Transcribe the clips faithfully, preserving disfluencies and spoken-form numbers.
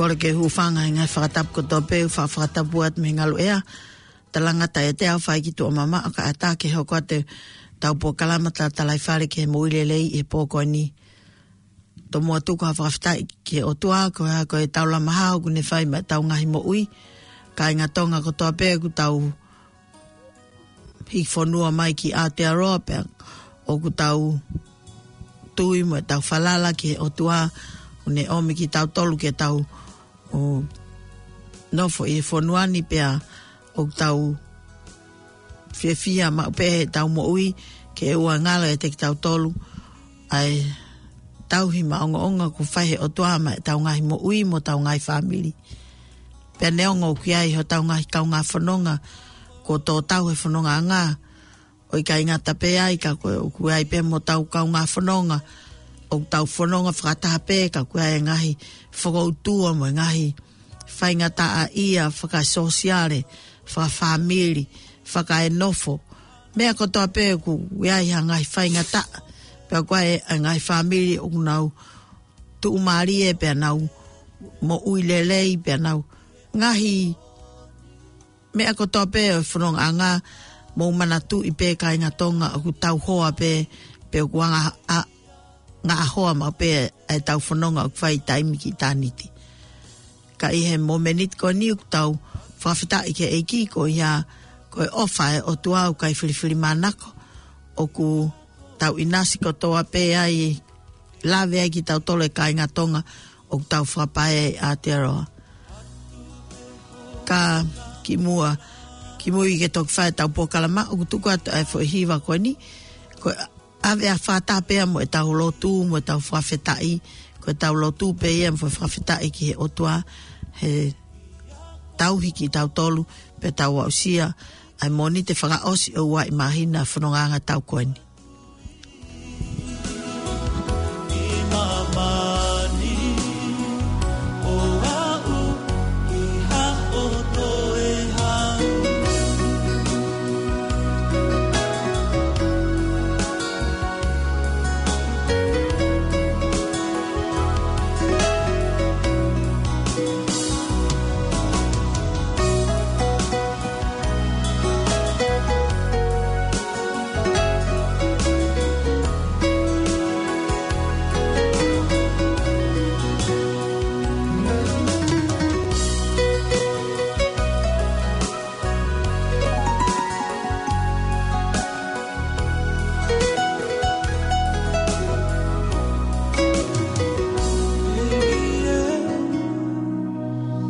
Kole ke u hūfanga he ngaahi fakatapu kotoa pē, ʻoku ou fakatapu atu mei he ngaluʻea. Talangata ʻiate au ʻa e fai ki tuʻa mamaʻo kae ʻatā ke hoko atu ʻetau polokalama Tatalaifale ki he Moʻui Lelei ʻi he pō ko eni. Tomuʻa tuku ha fakafetaʻi ki he ʻOtua, ko e hā, ko e taulama hao ʻoku ne fai maʻa ʻetau ngaahi moʻui. Kāinga Tonga kotoa pē ʻoku tau hiki fonua mai ki Aotearoa pea ʻoku tau tui mo ʻetau falala ki he ʻOtua, ʻoku ne ʻomi kitautolu ke tau ō nofo ʻi he fonua ni pea ʻoku tau fiefia maʻu pē heʻetau moʻui ke ʻoua ʻe ngalo ʻiate kitautolu ʻa e tauhi maʻongoʻonga ʻoku fai he ʻOtua maʻa ʻetau ngaahi moʻui mo ʻetau ngaahi fāmili. Pea neongo ʻoku ʻi ai hotau ngaahi kaungā fononga kuo tō tau he fonongaʻanga, ʻo ʻikai ngata pē ai ka ko e ʻoku ʻi ai pē mo ʻetau kaungā fononga ʻoku tau fononga fakataha pē ka ʻoku ʻi ai e ngaahi fokoutua mo e ngaahi faingataʻaʻia fakasōsiale, fakafāmili, fakaenofo. Meʻa kotoa pē ʻoku ʻi ai ha ngaahi faingataʻa, pea ʻoku ʻi ai e ngaahi fāmili ʻoku nau tuʻumālie pea nau moʻui lelei pea nau ngaahi meʻa kotoa pē ʻo e fonongaʻanga, mou manatuʻi pē kāinga Tonga ʻoku tau hoa pē, pea ʻoku anga-, a-, ngaʻahoa maʻu pē ʻetau fononga ʻoku fai taimi ki ʻitāniti. Ka ʻi he momeniti ko eni ʻoku tau fakafetaʻi ki he ʻEiki ko ia, ko e ʻofa ʻa e ʻOtua ʻoku ʻikai filifilimānako, ʻoku tau ʻinasi kotoa pē ai, lave ai kitautolu e kāinga Tonga ʻoku tau fakapae ʻi Aotearoa. Ka kimuʻa, kimui ke toki fai ʻetau polokalama ʻoku tuku atu ʻa e foʻi hiva ko eni, ko e ʻave ʻa e fakataha pea mo ʻetau lotu, mo ʻetau fakafetaʻi, ko ʻetau lotu pē ia mo e fakafetaʻi ki he ʻOtua, he tauhi kitautolu, pea tau aʻusia ʻa e Mōnite fakaʻosi ʻo e uaʻi māhina fonongaʻanga ʻo e taʻu ko eni.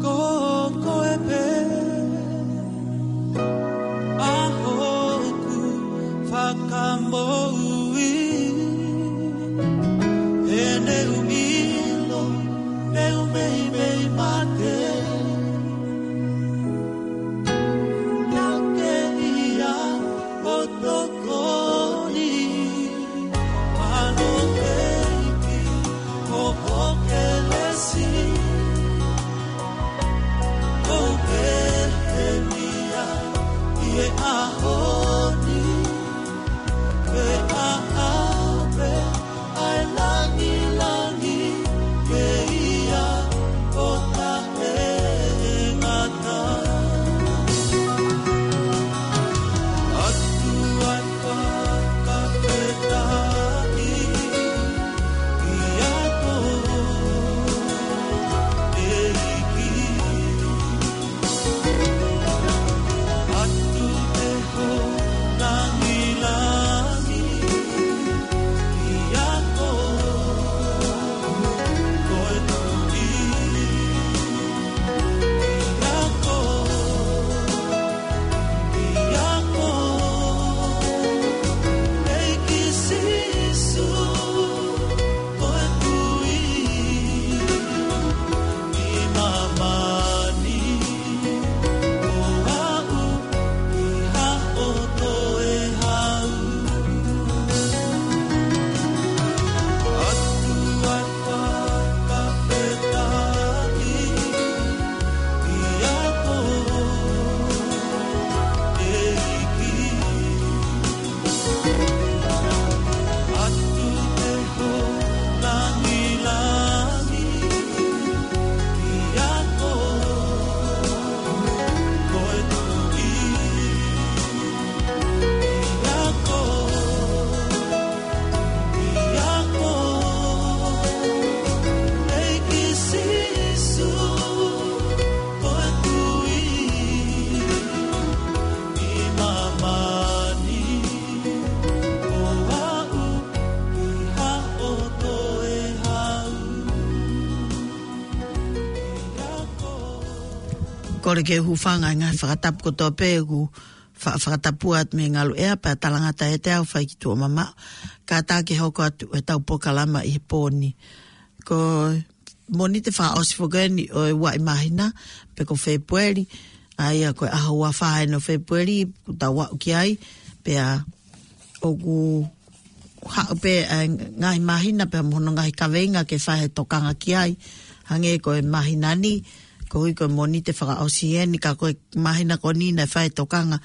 Ko koe pē ʻa hoku fakamoʻui, he neʻu ʻilo, neʻu meimei mate. Naʻa ke ʻia ʻo tokoni, ʻa hoʻo ʻEiki, ko ho kelesi. ʻOku ou pehē ni ia ʻi he ʻaho ni, pea ʻave ʻa e langilangi ke ʻia ʻo taʻengata. ʻOtua ko ʻOku ou hūfanga he ngaahi fakatapu kotoa pē ʻoku fa-, fakatapu atu mei he ngalu ʻea pea talangata ʻiate au fai ki tuʻa mamaʻo. Kātaki hoko atu ʻetau polokalama ʻi he pō ni. Ko Mōnite fakaʻosi foki eni ʻo e ua ʻi māhina, pe ko Fēpueli, ʻa ia ko e ʻaho ua fā eni ʻo Fēpueli, kuo tau aʻu ki ai, pea ʻoku haʻu pē ʻa e ngaahi māhina pea mo hono ngaahi kaveinga ke fai e tokanga ki ai. Hangē ko e māhina ni, koeʻuhi ko e Mōnite fakaʻosi eni, ka ko e māhina ko eni naʻe fai e tokanga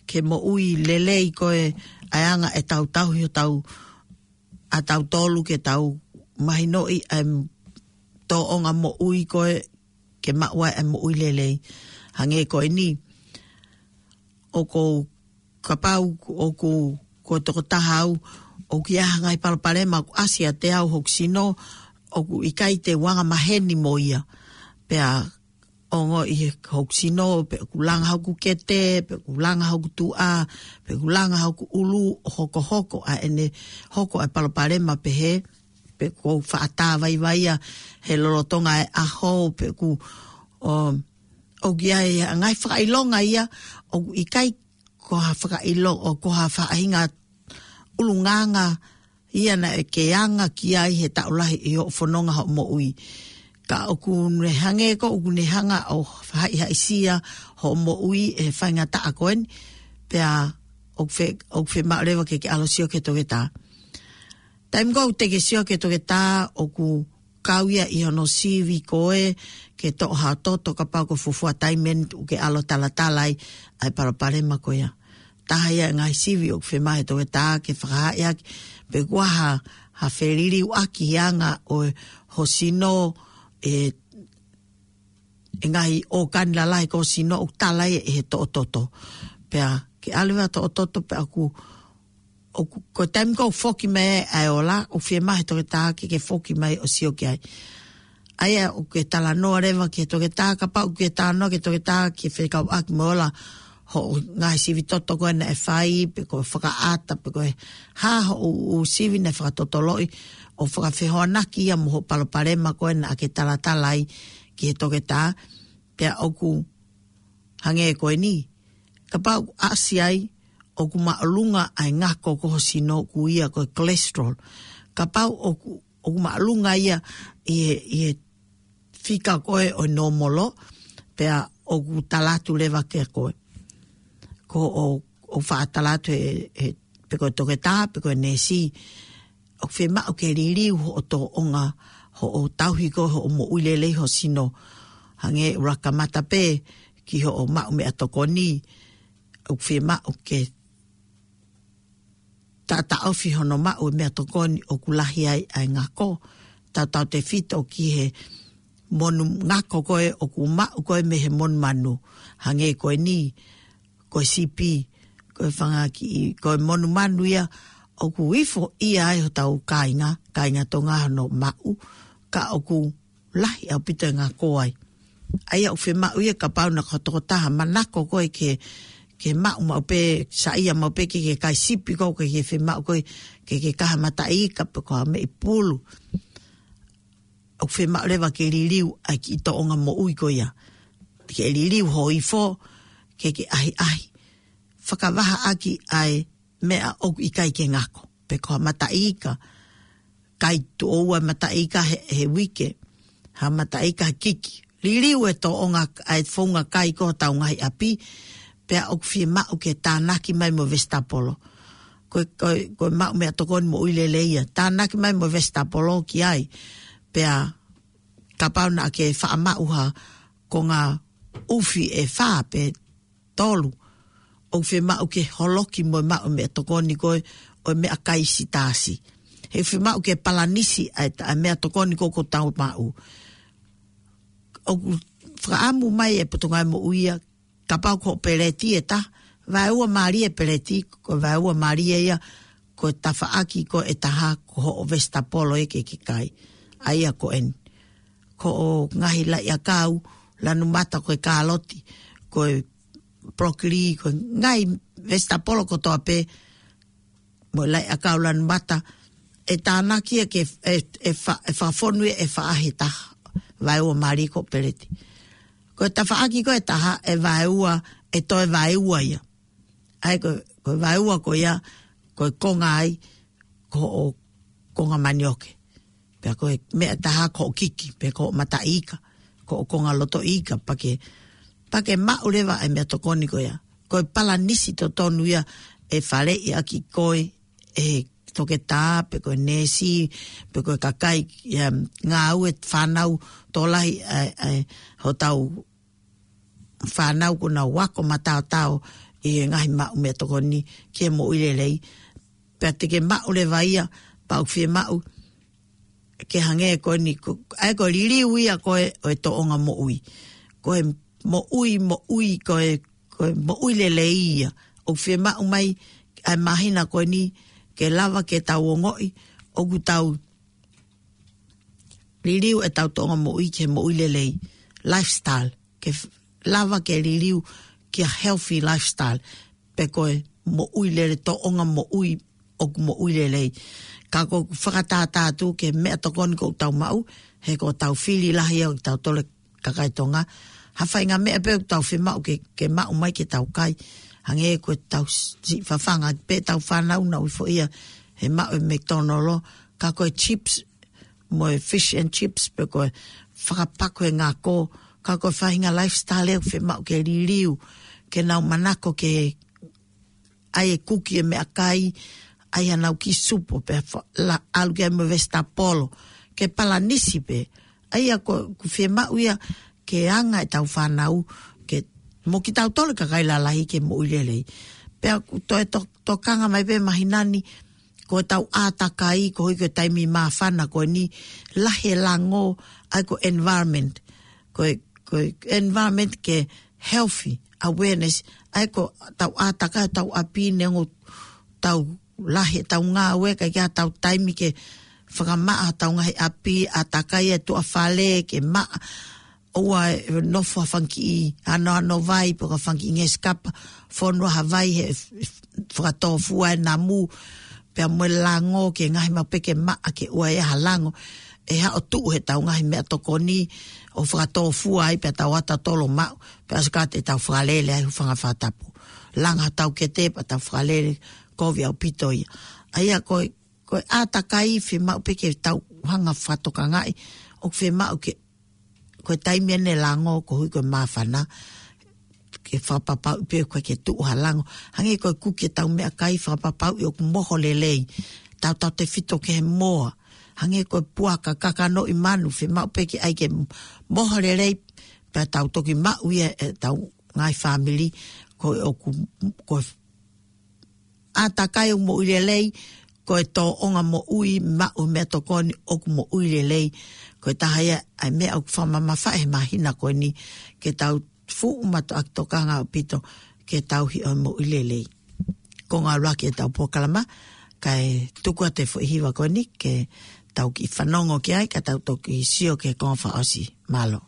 ke moʻui lelei ko e ʻa e anga ʻetau tauhi hotau, ʻa tautolu ke tau mahinoʻi ʻa e tōʻonga moʻui ko e ke maʻu ai ʻa e moʻui lelei. Hangē ko eni, ʻoku ou, kapau ʻoku, ko e tokotaha au, ʻoku ʻi ai ha ngaahi palopalema ʻoku ʻasi ʻiate au hoku sino, ʻoku ʻikai te u anga maheni mo ia. Pea ongoʻi he hoku sino, pe ʻoku langa hoku kete, pe ʻoku langa hoku tuʻa, pe ʻoku langa hoku ʻulu, ʻo hokohoko ʻa ʻene hoko ʻa e palopalema pehē, pe ʻoku ou faʻa tā vaivai ia he lolotonga e ʻaho, pe ʻoku, ʻo, ʻoku ʻi ai ha ngaahi fakaʻilonga ia, ʻoku ʻikai ko ha fakaʻilo-, ʻo ko ha faʻahinga ʻulungaanga ia naʻe ke anga ki ai he taʻu lahi ʻi hoʻo fononga hoʻo moʻui. Ka ʻoku ne hangē ko ʻoku ne hanga ʻo haʻihaʻisia hoʻo moʻui ʻe he faingataʻa ko eni, pea ʻoku fe-, ʻoku fiemaʻu leva ke ke ʻalu ʻo sio ki he toketā. Taimi ko ē ʻoku te ke sio ki he toketā, ʻoku kau ia ʻi hono sivi ko ē ke toʻo ha toto kapau ko e fuofua taimi eni ʻoku ke ʻalu ʻo talatala ai ʻa e palopalema ko ia. Taha ia e ngaahi sivi ʻoku fiemaʻu he toketā ke fakahaaʻi ʻaki pe ʻoku ʻi ai ha, ha feliliuaki he anga ʻo e, ho sino, e, e ngaahi ʻōkani lalahi ko ho sino ʻoku tala ia ʻe he toʻototo. Pea ke ʻalu ʻo toʻototo pea ʻoku, ʻoku, ko e taimi ko ē ʻoku foki mai ai ʻa e ola, ʻoku fiemaʻu he toketā ke ke foki mai ʻo sio ki ai. ʻA ia ʻoku ke talanoa leva ki he toketā, kapau ʻoku ke talanoa ki he toketā ke fekauʻaki mo e ola hoʻo ngaahi sivi toto ko ē naʻe fai, pe ko e fakaʻata, pe ko e hā hoʻo ʻū sivi naʻe fakatotoloʻi, ʻo fakafehoanaki ia mo hoʻo palopalema ko ē naʻa ke talatala ai ki he toketā, pea ʻoku hangē ko eni. Kapau ʻoku ʻasi ai, ʻoku māʻolunga ʻa e ngako ko ho sino ʻoku ui ia ko e cholesterol. Kapau ʻoku, ʻoku māʻolunga ia ʻi he, ʻi he fika ko ē ʻo e nōmolo, pea ʻoku tala atu leva kia koe. Ko ʻo, ʻo faʻa tala atu he, he, pe ko e toketā, pe ko e neesi, ʻoku fiemaʻu ke liliu hoʻo tōʻonga, hoʻo tauhi ko ē hoʻo moʻui lelei ho sino. Hangē ʻoku laka mata pē ki hoʻo maʻu meʻatokoni, ʻoku fiemaʻu ke taʻataʻofi hono maʻu e meʻatokoni ʻoku lahi ai ʻa e ngako. Tautautefito ki he monu ngako ko ē ʻoku maʻu ko ē mei he monumanu. Hangē ko eni, ko e sipi, ko e fanga kiʻi, ko e monumanu ia ʻoku ifo ia ai hotau kāinga, kāinga Tonga hono maʻu, ka ʻoku lahi ʻaupito e ngako ai. ʻA ia ʻoku fiemaʻu ia kapau naʻa ko e tokotaha manako ko ē ke, ke maʻu maʻu pē, saiʻia maʻu pē ke, ke kai sipi ko ē, ke, ke fiemaʻu ko ē ke, ke kaha mataʻi ika pe ko ha meʻi pulu. ʻOku fiemaʻu leva ke liliu ʻa e kiʻi tōʻonga moʻui ko ia. Ke liliu ho ifo, ke ke ʻahiʻahi. Fakavahaʻaki ʻa e meʻa ʻoku ʻikai ke ngako. Pe ko ha mataʻi ika, kai tuʻo ua mataʻi ika he, he uike, ha mataʻi ika he kiki. Liliu e tōʻonga, ʻa e founga kai ko ē hotau ngaahi ʻapi, pea ʻoku fiemaʻu ke tānaki mai mo e vesitapolo. Ko e, ko e, ko e maʻu meʻatokoni moʻui lelei ia. Tānaki mai mo e vesitapolo ki ai. Pea kapau naʻa ke faʻa maʻu ha konga ʻufi ʻe fā pe tolu, ʻoku fiemaʻu ke holoki mo e maʻu meʻatokoni ko ē ʻo e meʻakai sitaasi. He fiemaʻu ke palanisi ʻa e ta-, ʻa e meʻatokoni ko ē ʻoku tau maʻu. ʻOku fakaʻamu mai e Potungāue Moʻui ia, kapau ko hoʻo peleti ʻe taha, vaeua mālie e peleti, ko e vaeua mālie ia, ko e tafaʻaki ko ē ʻe taha, ko hoʻo vesitapolo ia ke ke kai. ʻA ia ko eni. Ko hoʻo ngaahi laʻiʻakau, lanu mata ko e kāloti, ko e broccoli, ko e ngaahi vesitapolo kotoa pē, mo e laʻiʻakau lanu mata, ʻe tānaki ia ke, ʻe, ʻe fa-, ʻe fakafonu ia ʻe fā he taha, vaeua mālie ko hoʻo peleti. Ko e tafaʻaki ko ē ʻe taha ʻe vaeua, ʻe toe vaeua ia. ʻA ia ko, ko e vaeua ko ia, ko e konga ai, ko hoʻo konga manioke. Pea ko e meʻa ʻe taha ko hoʻo kiki, pe ko hoʻo mataʻi ika, ko hoʻo konga loto ika, pea ke, pea ke maʻu leva ʻa e meʻatokoni ko ia. Ko e palanisi totonu ia ʻe faleʻi ʻaki koe ʻe he toketā, pe ko e neesi, pe ko e kakai, ia, ngāue fānau tokolahi, ʻa e, ʻa e, hotau fānau kuo nau ako mataotao ʻi he ngaahi maʻu meʻatokoni ki he moʻui lelei. Pea te ke maʻu leva ia, pea ʻoku fiemaʻu ke hangē ko eni, ko, ʻa ia ko e liliu ia ko ē ʻo e tōʻonga moʻui. Ko e moʻui, moʻui, ko e, ko e moʻui lelei ia. ʻOku fiemaʻu mai ʻa e māhina ko eni ke lava ke tau ongoʻi ʻoku tau liliu ʻetau tōʻonga moʻui ki he moʻui lelei, lifestyle, ke f-, lava ke liliu ki ha healthy lifestyle, pe ko e moʻui lele, tōʻonga moʻui ʻoku moʻui lelei. Ka ko e fakatātā atu ki he meʻatokoni ʻoku tau maʻu, he ko ʻetau fili lahi ʻo kitautolu kakai Tonga. Ha faʻahinga meʻa pē ʻoku tau fiemaʻu ke, ke maʻu mai ke tau kai. Hangē ko ʻetau s-, siʻi fafanga pē ʻetau fānau, nau ifo ia he maʻu e McDonald, ka ko e chips, mo e fish and chips, pe ko e fakapaku e ngako, ka ko e faʻahinga lifestyle ʻoku fiemaʻu ke liliu, ke nau manako ke ʻai e kuki e meʻakai, ʻai hanau kiʻi supo, pea fa-, la, ʻalu ki ai mo e vesitapolo, ke palanisi pē. ʻA ia ko, ʻoku fiemaʻu ia ke anga ʻetau fānau, ke mo kitautolu kakai lalahi ke moʻui lelei. Pea ʻoku toe to-, tokanga mai pē māhina ni, ko ʻetau ʻātakai, koeʻuhi ko e taimi māfana ko eni, lahi e lango, ʻa ia ko e environment. Ko e, ko e environment ke healthy, awareness, ʻa ia ko ʻetau ʻātakai, tau ʻapi neongo tau lahi ʻetau ngāue, ka ʻikai ke ʻi ai haʻatau taimi ke fakamaʻa hotau ngaahi ʻapi, ʻātakai e tuʻa fale, ke maʻa, ʻoua ʻe nofo ha fanga kiʻi anoano vai, pe ko ha fanga kiʻi ngeʻesi kapa, fonu ha vai he f-, f-, fakatōfua e namu, pea mo e lango, ke ngaahi maʻu pē ke maʻa ke ʻoua ʻe ʻi ai ha lango, ʻe haʻu ʻo tuʻu heʻetau ngaahi meʻatokoni, ʻo fakatōfua ai pea tau ʻatā tolo maʻu, pea ʻosi ka te tau fakalele ai hūfanga he fakatapu. Langa hotau kete pea tau fakalele, kovi ʻaupito ia. ʻA ia ko e, ko e ʻātakai fiemaʻu pē ke tau hanga fakatokangaʻi, ʻoku fiemaʻu ke, ko e taimi eni e lango, koeʻuhi ko e māfana, ke fakapapauʻi pē ʻoku ʻikai ke tuʻu ha lango. Hangē ko e kuki ʻetau meʻakai, fakapapauʻi ʻoku moho lelei. Tautautefito ki he moa. Hangē ko e puaka, kakano ʻi manu, fiemaʻu pē ke ʻai ke moho lelei, pea tau toki maʻu ia ʻe ʻetau ngaahi fāmili, ko e ʻoku, ko e ʻātakai ʻoku moʻui lelei, ko e tōʻonga moʻui maʻu meʻatokoni ʻoku moʻui lelei. Ko e taha ia ʻa e meʻa ʻoku fakamamafaʻi he māhina ko eni, ke tau fuʻu mātuʻaki tokanga ʻaupito ke tauhi ʻa e moʻui lelei. Ko e ngāue ʻa ʻetau polokalama, kae tuku atu e foʻi hiva ko eni ke tau kiʻi fanongo ki ai, ka tau toki sio ki he konga fakaʻosi. Mālō.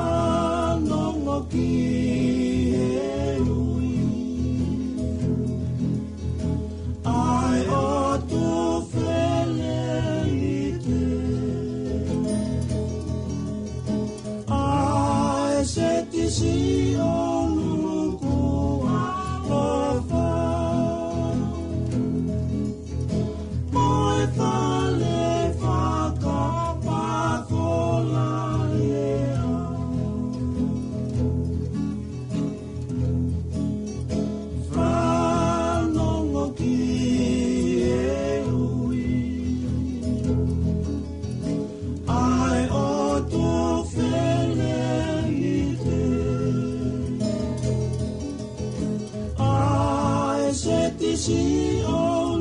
Fanongo ki he ui ʻa e ʻOtua Fineʻeiki, ʻa e Siasi ʻo e ʻOtua ʻofa. Mo e fale fakapakolaea. Fanongo ki he ui ʻa e ʻOtua Fineʻeiki, ʻa e Siasi ʻo e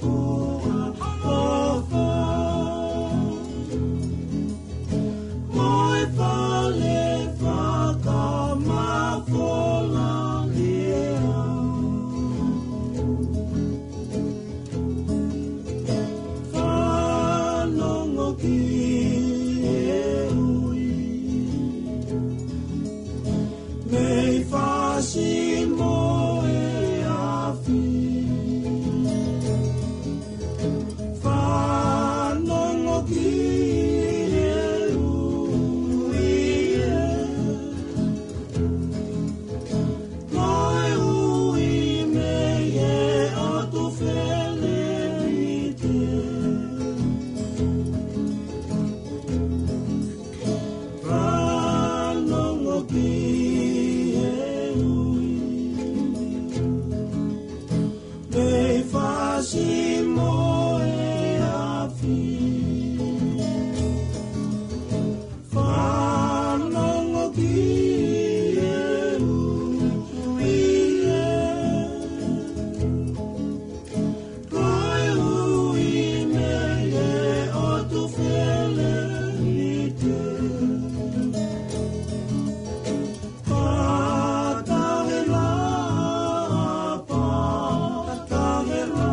ʻOtua ʻofa. Simo e afi. Fanongo ki he ui e. Ko e ui mei he ʻotu feleti. Fanongo ki he ui. Mei fasi mo e afi. Fanongo ki he ui. Ko e ui mei he ʻotu feleti. Pātahela, pātahela.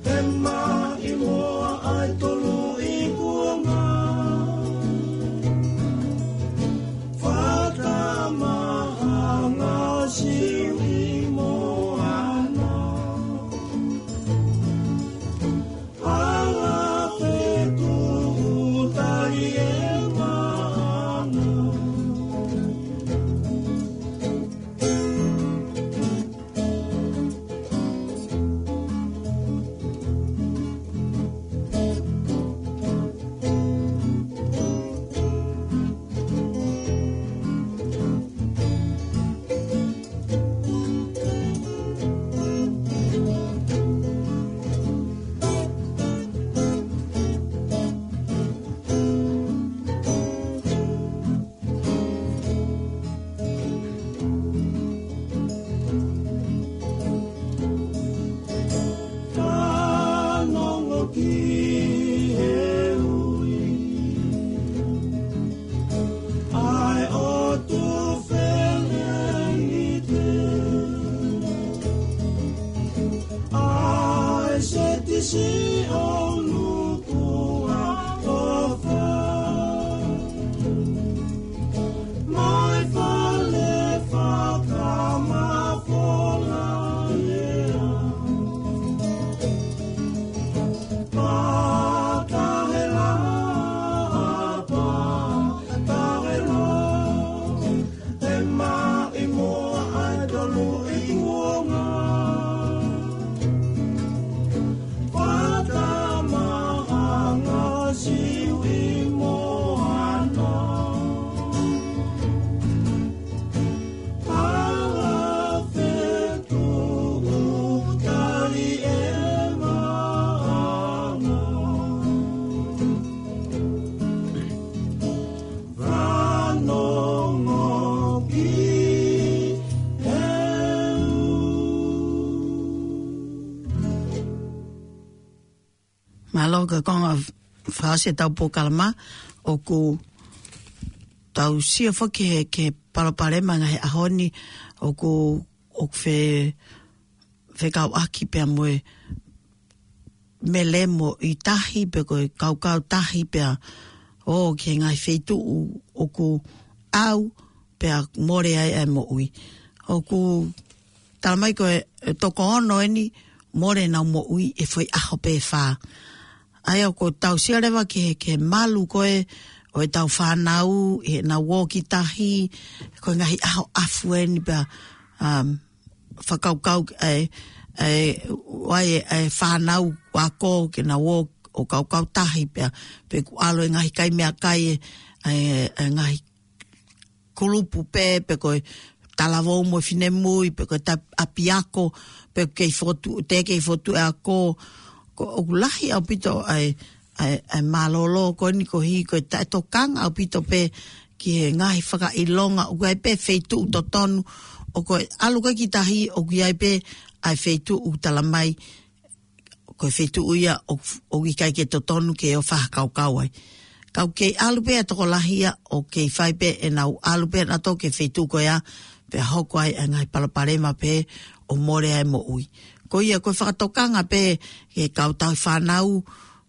He maʻimoa ʻa e tolu ʻi kuonga. Fakamaha ngā Siu ʻi Moana. Ala fetuʻutaki e maʻanga. Fanongo ki he ui. ʻA e ʻotu feleti. ʻA e Setisi ʻo Nukuʻalofa. Mai fale fakamafola lea. Pātahela, pātahela. He maʻimoa ʻa e tolu ʻi kuonga. Fakamaha ngā Siu ʻi Moana. Ala fetuʻutaki e maʻanga. Fanongo ki he ui. Mālō ka konga fasi ʻetau polokalama, ʻoku tau sio foki he, ki he palopalema ngaahi ʻaho ni, ʻoku, ʻoku fe-, fekauʻaki pea mo e melemo ʻi tahi, pe ko e kaukau tahi pea, ʻo ki he ngaahi feituʻu ʻoku ʻau, pea mole ai ʻa e moʻui. ʻOku tala mai ko e, e toko ono eni mole ʻenau moʻui ʻi he foʻi ʻaho pē fā. ʻA ia ʻoku tau sio leva ki he, ki he malu ko ē ʻo ʻetau fānau, ʻi heʻenau ō ki tahi, ko e ngaahi ʻaho ʻafu eni pea, um, fakakaukau, ʻa e, ʻa e, ʻa e, ʻa e fānau ako ke nau ō ʻo kaukau tahi pea, pe ʻoku ʻalu e ngaahi kai meʻakai e, ʻa e, ʻa e ngaahi kulupu pē, pe ko e talavou mo e finemui, pe ko e ta-, ʻapiako, pe kei fotu, te kei fotu e ako, ko ʻoku lahi ʻaupito ʻa e, ʻa e, ʻa e mālōlō ko eni ko hi, ko e taʻetokanga ʻaupito pē ki he ngaahi fakaʻilonga, ʻoku ʻi ai pē feituʻu totonu, ʻo ko e ʻalu ko ē ki tahi, ʻoku ʻi ai pē ʻa e feituʻu ʻoku tala mai, ko e feituʻu ia ʻoku, ʻoku ʻikai ke totonu ke ō fakakaukau ai. Ka ʻoku kei ʻalu pē ʻa e tokolahi ia, ʻo kei fai pē ʻenau ʻalu pē ʻanautolu ki he feituʻu ko ia, pea hoko ai ʻa e ngaahi palopalema pē ʻo mole ai moʻui. Ko ia, ko e fakatokanga pē ki he kau tauhi fānau,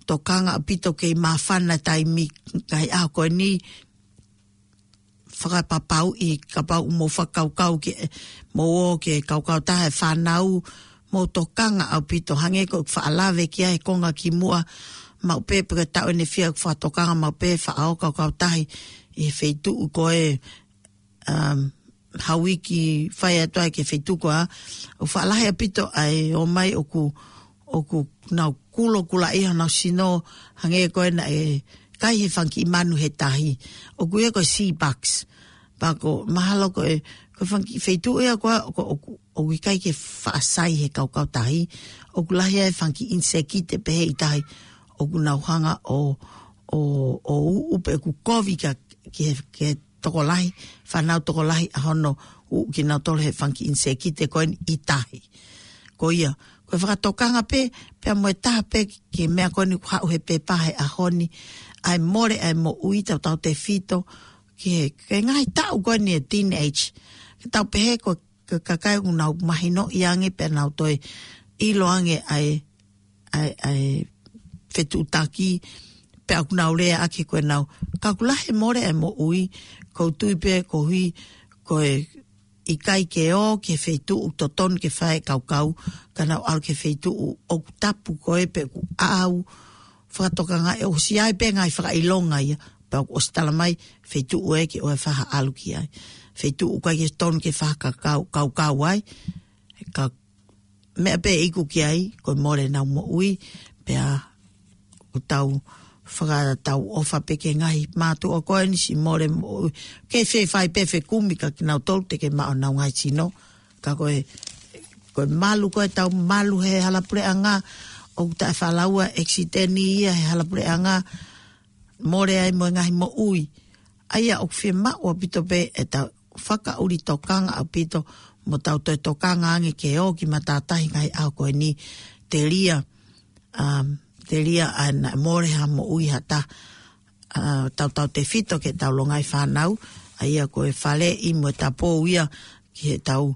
tokanga ʻaupito kei māfana taimi ngaahi ʻaho ko eni, fakapapauʻi kapau ʻoku mou fakakaukau ke mou ō ke kaukau taha e fānau, mou tokanga ʻaupito hangē ko e faʻa lave ki ai he konga kimuʻa, maʻu pē pe ko e taʻu ʻeni ʻe fiha ʻoku fakatokanga maʻu pē faʻa ō kaukau tahi ʻi he feituʻu ko ē, um, ha uike fai atu ai ki he feituʻu ko ē, ʻoku faʻa lahi ʻaupito ʻa e ō mai ʻoku, ʻoku nau kulo kula ʻi honau sino, hangē ko ē naʻe kai he fanga kiʻi manu he tahi. ʻOku ui ia ko e sea bugs. Pea ko e mahalo ko e, ko e fanga kiʻi feituʻu ia ko ē, ʻoku, ʻoku, ʻoku ʻikai ke faʻa sai he kaukau tahi. ʻOku lahi ai e fanga kiʻi ʻinisekite pehē ʻi tahi. ʻOku nau hanga ʻo, ʻo, ʻo uʻu pe ʻoku kovi ka, ki he, ki he tokolahi, fānau tokolahi ʻa hono uʻu kinautolu he fanga kiʻi ʻinisekite ko eni ʻi tahi. Ko ia, ko e fakatokanga pē, pea mo e taha pē ki he meʻa ko eni ʻoku haʻu he pepa he ʻaho ni, ʻa e mole ʻa e moʻui tautautefito ki he, ki he ngaahi taʻu ko eni e teenage. Ke tau pehē ko, ko e kakai ʻoku nau mahinoʻi ange pea nau toe ʻilo ange ʻa e, ʻa e, ʻa e fetuʻutaki, pea ʻoku nau lea ʻaki ko ʻenau. Ka ʻoku lahi e mole ʻa e moʻui, ʻoku ou tui pē koeʻuhi ko e ʻikai ke ō ki he feituʻu totonu ke fai e kaukau, ka nau ʻalu ki he feituʻu ʻoku tapu ko ē pe ʻoku ʻaʻau, fakatokangaʻi ʻosi ai pē ngaahi fakaʻilonga ia, pea ʻoku ʻosi tala mai feituʻu ē ke ʻoua ʻe faʻa ʻalu ki ai. Feituʻu ʻoku ʻikai ke totonu ke fai ha kaukau, kaukau ai, ka meʻa pē ʻe iku ki ai, ko e mole ʻenau moʻui, pea ʻoku tau fakatauʻofa pē ki he ngaahi mātuʻa ko eni siʻi mole moʻui. Ke fēfē fai pē fekumi ka kinautolu te ke maʻu honau ngaahi sino. Ka ko e, ko e malu ko ē ʻetau malu he hala puleʻanga, ʻoku taʻe fakalaua ʻekisiteni ia he hala puleʻanga, mole ai mo e ngaahi moʻui. ʻA ia ʻoku fiemaʻu ʻaupito pē ʻetau fakaʻuli tokanga ʻaupito mo tau toe tokanga ange ke ō ki matātahi ngaahi ʻaho ko eni telia, um, telia ʻa e naʻe mole ha moʻui ha taha, uh, tautautefito ki heʻetau longaʻi fānau, ʻa ia ko e faleʻi mo e tapou ia ki heʻetau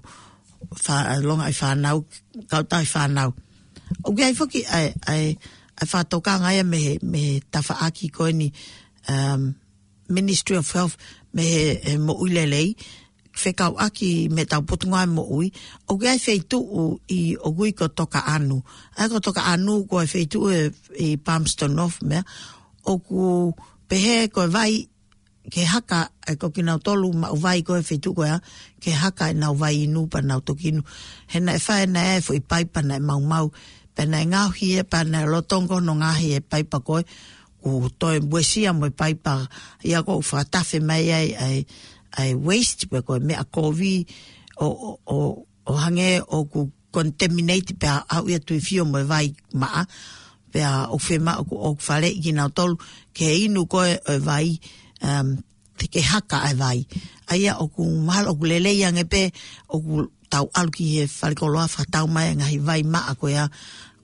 fa-, longaʻi fānau, kautahi fānau. ʻOku ʻi ai foki ʻa e, ʻa e, ʻa e fakatokanga ia mei he, mei he tafaʻaki ko eni, um, Ministry of Health mei he, he moʻui lelei, fekauʻaki mo ʻetau potungāue moʻui, ʻoku ʻi ai e feituʻu ʻi ʻoku ui ko Tokaʻanu. ʻA ia ko Tokaʻanu ko e feituʻu ʻi, ʻi Palmerston North meʻa, ʻoku pehē ko e vai ke haka, ʻa ia ko kinautolu maʻu vai ko e feituʻu ko ia, ke haka ʻenau vai inu pea nau toki inu. He naʻe fai ʻe nautolu e foʻi paipa naʻe maumau, pea naʻe ngaohi ia pea naʻe lolotonga hono ngaohi e paipa ko ē, ʻoku toe uesia mo e paipa ia ʻoku fakatafe mai ai ʻa e, ʻa e waste pe ko e meʻa kovi ʻo, ʻo, ʻo, ʻo hangē ʻoku contaminate pea aʻu ia tuifio mo e vai maʻa, pea ʻoku fiemaʻu ʻoku, ʻoku faleʻi kinautolu ke inu ko ē ʻo e vai, um, te ke haka ʻa e vai. ʻA ia ʻoku mahalo ʻoku lelei ange pē ʻoku tau ʻalu ki he falekoloa fakatau mai e ngaahi vai maʻa ko ia,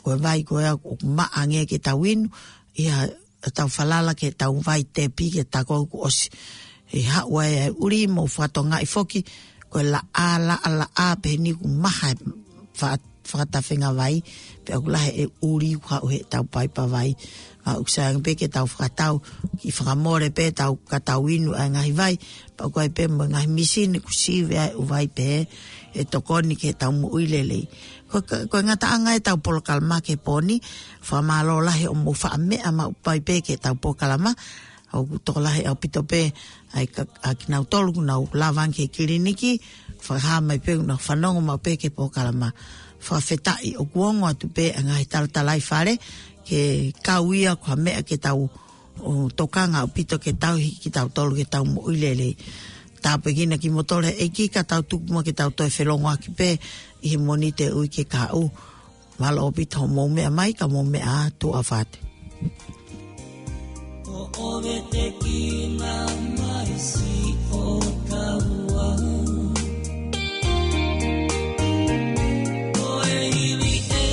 ko e vai ko ia ʻoku maʻa ange ke tau inu, ʻi heʻetau falala ki heʻetau vai tepi ke ta ko ʻoku ʻosi. ʻE haʻu ai e ʻuli mo fakatokangaʻi foki, ko e laʻā, laʻā, laʻā, pehē ni ʻoku maha e fa-, fakatafenga vai, pea ʻoku lahi e ʻuli ʻoku haʻu heʻetau paipa vai. Ka ʻoku sai ange pē ke tau fakatau, kiʻi fakamole pē ʻetau, ka tau inu ʻa e ngaahi vai, pea ʻoku ʻi ai pē mo e ngaahi mīsini ʻoku sivi ai e ʻū vai pehē, ʻe tokoni ki heʻetau moʻui lelei. Ko, ko, ko e ngataʻanga ʻetau polokalama ki he pō ni, fakamālō lahi hoʻomou faʻa meʻa maʻu pē ki heʻetau polokalama, ʻoku tokolahi ʻaupito pē ʻa e ka-, ʻa kinautolu ʻoku nau lava ange ki he kiliniki, fakahā mai pē ʻoku nau fanongo maʻu pē ki he polokalama. Fakafetaʻi ʻoku ongo atu pē ʻa e ngaahi talatalaifale, ke kau ia ko ha meʻa ke tau, ʻo, tokanga ʻaupito ke tauhi kitautolu ke tau moʻui lelei. Tāpuekina kimoutolu ʻe he ʻEiki ka tau tuku muʻa ke tau toe felongoaki pē ʻi he Mōnite ui ke kahaʻu. Mālō ʻaupito hoʻomou meʻa mai, ka mou meʻa ā, tuʻa ʻofa atu. ʻO ʻovetekina mai siʻotau ʻaho. Ko e hili ē,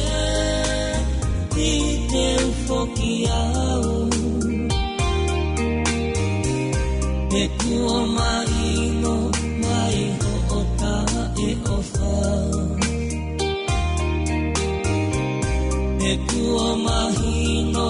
ʻi te u foki au. He kuo mahino mai hoʻo taʻeʻofa. He kuo mahino